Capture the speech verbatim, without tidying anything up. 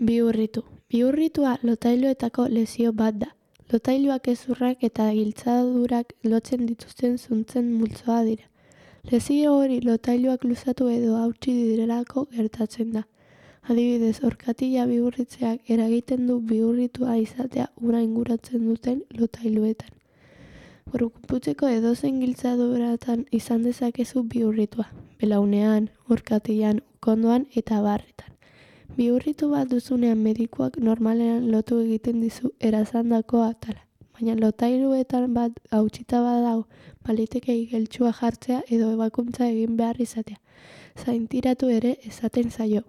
Bihurritu. Bihurritua lotailuetako lesio bat da. Lotailuak hezurrak eta giltzadurak lotzen dituzten zuntzen multzoa dira. Lesio hori lotailuak luzatu edo hautsi direlako gertatzen da. Adibidez, orkatila bihurritzeak eragiten du bihurritua izatea ura inguratzen duten lotailuetan. Gorputzeko edozein giltzaduratan izan dezakezu bihurritua, belaunean, orkatilan, ukondoan eta abarretan. Bihurritu bat duzunean medikuak normalean lotu egiten dizu erazandako atala, baina lotailuetan bat hautsita badago, baliteke igeltsua jartzea edo ebakuntza egin behar izatea. Zaintiratu ere esaten zaio.